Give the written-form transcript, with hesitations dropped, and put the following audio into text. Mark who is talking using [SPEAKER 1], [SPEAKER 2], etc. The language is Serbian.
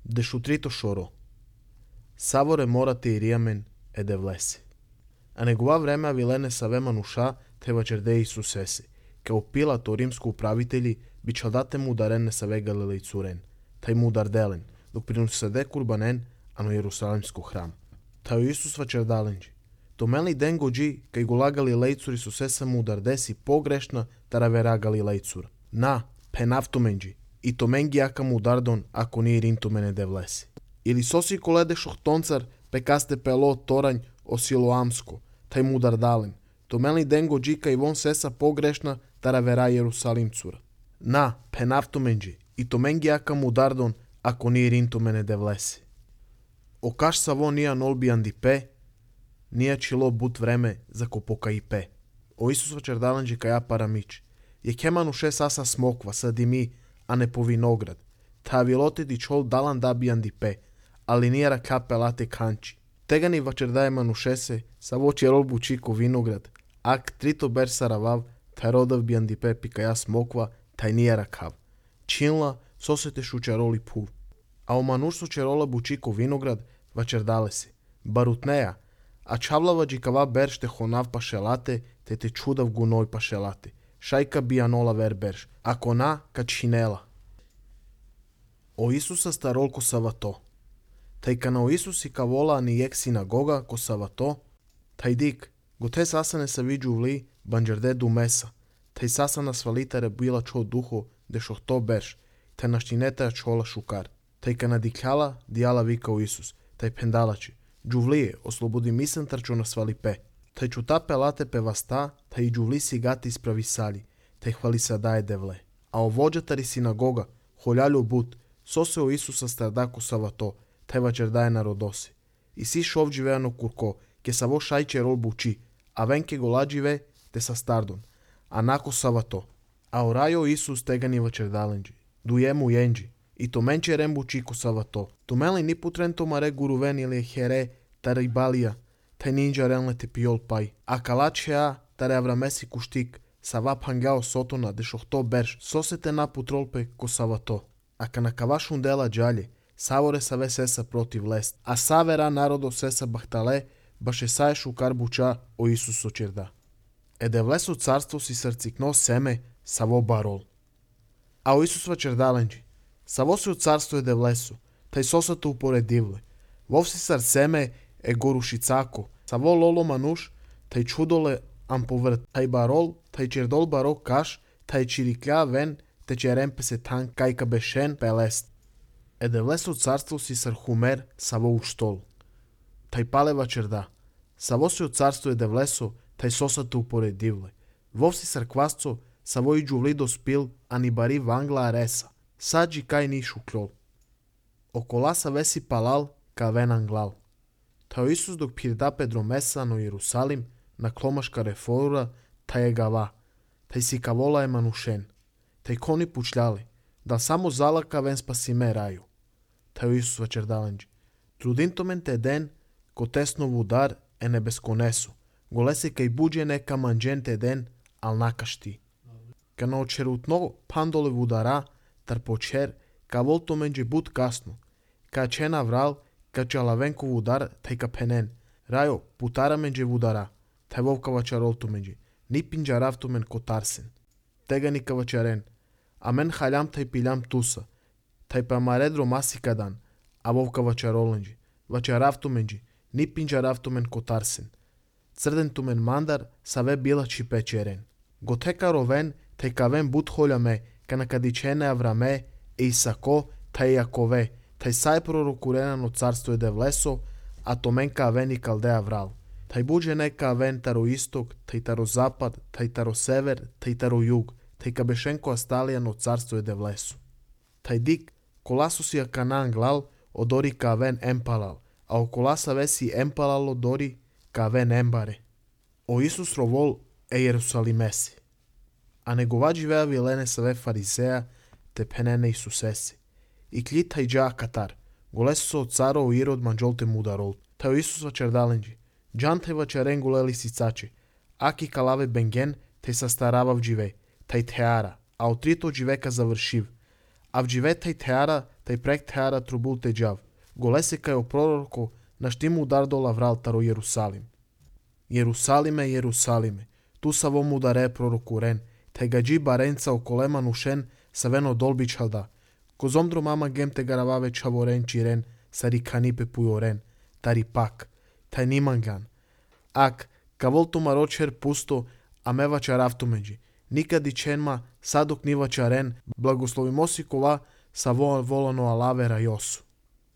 [SPEAKER 1] Дешутрито шоро. Саворе морате и риамен е де влеси. А негова време авилене саве мануша тева черде Исусеси. Као Пилато римско управители би чадате му ударен не саве Галилей цурен. Тај му ударделен, док приносаде курбанен, ано Јерусалимско храм. Тај Исус вачердаленджи. Томели ден годжи, кај гола Галилейцур Исусеса му удардеси погрешна таравера Галилейцур. На, пенавтоменджи, и томенги ака му удардон, ако ни ринтомене де влеси. Или соси коледе шохтонцар, пекасте пело торањ о Силоамско, тај му удардален. Томели ден годжи, кај вон сеса погрешна таравера Јерусалимцур. На, пенавтоменджи, и томенги ака му удардон, ако ни ринтомене де влеси. Окаш саво нија нолби андипе, нија чило бут време за копока и пе. О Исус вачердаленджи каја парамич. Ја кемануше саса смоква, садими, а не по виноград. Та вилоте ди чол далан даби андипе, али нијара капелате канчи. Тега ни вачердај манушесе, саво черол бучико виноград, ак трито бер саравав, тај родав би андипе пикаја смоква, тај нијара кав. Чинла, сосете шучароли пув. А о мануш со черола бучико виноград, вачердале си. Барутнеја, а чавлава джикава бер ште хонав пашелате, те чудав гуној пашелате. Шајка бијанола вер берш, ако на, качинела. О Исуса старол ко савато. Тај кана о Исус и кавола ни ек синагога ко савато, тај дик, го те саса не са виджувли, банджерде ду меса. Тај саса на свалитаре била чо духо, де шохто берш, тај наштинета чола шукар. Тај кана дикјала, дијала вика о Исус, тај пендалачи. Джувлие, ослободи мисен трчо на свали пе. Тај чута пелате певаста, тај джувли си гати исправи сали, тај хвали са дае девле. А о воджатари синагога, холјалю бут, сосе о Исуса стардако савато, тај вачердај народоси. И си шов живеано курко, ке саво шајче рол бучи, а венке голадживе, те са стардон. А нако савато. А орајо Исус тега ни вачердаленджи, дујему јенджи, и то менче рем бучи ко савато. Томели ни путрен томаре гурувен или хере, тарибалија, тај нинджа релне те пиол пај. А калачеа, таре аврамеси куштик, сава пангао сотона, де шохто берш, сосете на путролпе ко савато. А кана кавашун дела джале, саворе саве сеса против лест, а савера народо сеса бахтале, баше сае шукар буча о Исус очерда. Еде влесо царство си срцикно семе, саво барол. А о Исус вачердаленджи, саво си от царство еде влесо, тај сосато упоредивле. Вовси сар семе е горушицако, саво лоло мануш, тај чудоле амповрт, тај барол, тај чердол баро каш, тај чирикля вен, те черем песе тан кајка бешен пелест. Еде влесо царство си сар хумер, саво уштол. Тај пале вачерда, саво си от царство еде влесо, тај сосато упоредивле. Вовси сар квасцо, саво и джувли доспил, а ни бари вангла ареса. Саджи кај ни шуклол. Окола саве си палал, кавен англал. Тај Исус док пирда Педромеса на Иерусалим, на кломашка рефора, тај е гава. Тај си кавола е манушен. Тај кони пучляле, да само зала кавен спасиме рају. Тај Исус вачердаленджи. Трудинтомен те ден, ко тесно вудар е не бесконесо. Голесе кај буџе нека манџен те ден, ал накашти. Кана очерутно пандоле вудара, тар почер, ка волтоменџи бут касно. Ка чена врал, ка чалавенко вудар, тај ка пенен. Рајо, путара менџе вудара. Тај вовка вачаролтоменџи. Ни пинџаравтомен ко тарсен. Тега ни кавачарен. А мен халям тај пилям туса. Тај па маредро масикадан. А вовка вачароленџи. Вачаравтоменџи. Ни пинџаравтомен ко тарсен. Црдентомен мандар, саве била чипечерен. Готека ровен, тај кавен бут холяме, кана кадичене Авраме, е Исако, тај Јакове, тај сај пророкуренано царство еде влесо, а томен кавен и калдеа врал. Тај буџе не кавен таро исток, тај таро запад, тај таро север, тај таро југ, тај кабешенко асталијано царство еде влесо. Тај дик, коласо си аканан глал, одори кавен емпалал, а околаса веси емпалало дори кавен ембаре. О Исус ровол е Јерусалимеси. А негова живеа вилене саве фарисеа, те пенене Исусеси. И кли тај джа катар, голесо од царо о Ирод манџолте мударол. Тај Исус вачердаленџи, джан тај вачерен голели сицаче, аки калаве бенген, тај састаравав дживе, тај теара, а од трито дживека завршив. А в дживе тај теара, taj prekt hara trubulte džav. Golese kaj o proroku, na štimu dardola vraltaro Jerusalim. Jerusalime, Jerusalime, tu sa vomu dare proroku ren, taj gađi barenca o kolemanu šen, sa veno dolbi čalda. Ko zomdro mama gemte garavave čavoren čiren, sari kanipe pujoren, tari pak, taj nimangan. Ak, kavoltu maročer pusto, a mevača raftumeđi. Nikad i čenma, sadok nivača ren, blagoslovimosi kova, sa volano alavera josu.